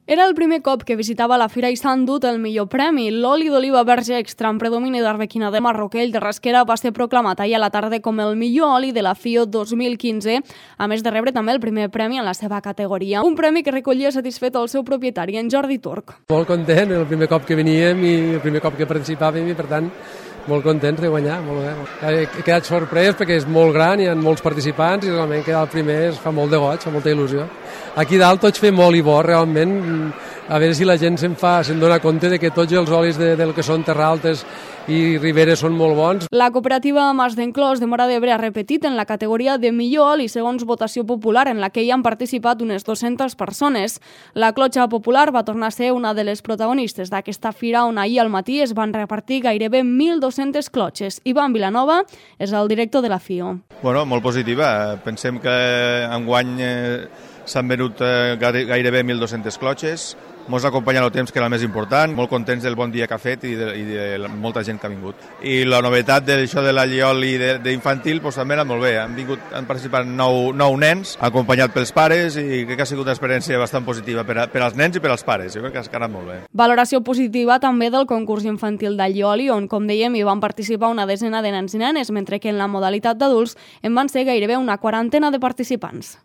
Era el primer cop que visitava la fira i s'ha endut el millor premi. L'oli d'oliva verge extra amb predomini d'arbequina de Marroquell de Rasquera va ser proclamat ahir a la tarda com el millor oli de la FIO 2015, a més de rebre també el primer premi en la seva categoria. Un premi que recollia satisfet el seu propietari, en Jordi Turc. Molt content, el primer cop que veníem i el primer cop que participàvem i per tant molt contents de guanyar, molt bé. He quedat sorprès perquè és molt gran, hi ha molts participants i realment quedar el primer es fa molt de goig, fa molta il·lusió. Aquí dalt tots fem oli bo, realment, a veure si la gent se'n dona compte de que tots els olis del que són Terra Altes i Riberes són molt bons. La cooperativa Mas d'Enclòs de Móra d'Ebre ha repetit en la categoria de millor oli segons votació popular, en la que hi han participat unes 200 persones. La clotxa popular va tornar a ser una de les protagonistes d'aquesta fira, on ahir al matí es van repartir gairebé 1.200 clotxes. Ivan Vilanova és el director de la FIO. Bueno, molt positiva. Pensem que enguany s'han venut gairebé 1.200 clotxes. Ens ha acompanyat el temps, que era el més important, molt contents del bon dia que ha fet i de molta gent que ha vingut. I la novetat d'això de l'allioli d'infantil també ha anat molt bé. Han participat 9 nens, acompanyat pels pares, i crec que ha sigut una experiència bastant positiva per als nens i per als pares. Jo crec que ha anat molt bé. Valoració positiva també del concurs infantil d'allioli, on, com dèiem, hi van participar una desena de nens i nenes, mentre que en la modalitat d'adults en van ser gairebé una quarantena de participants.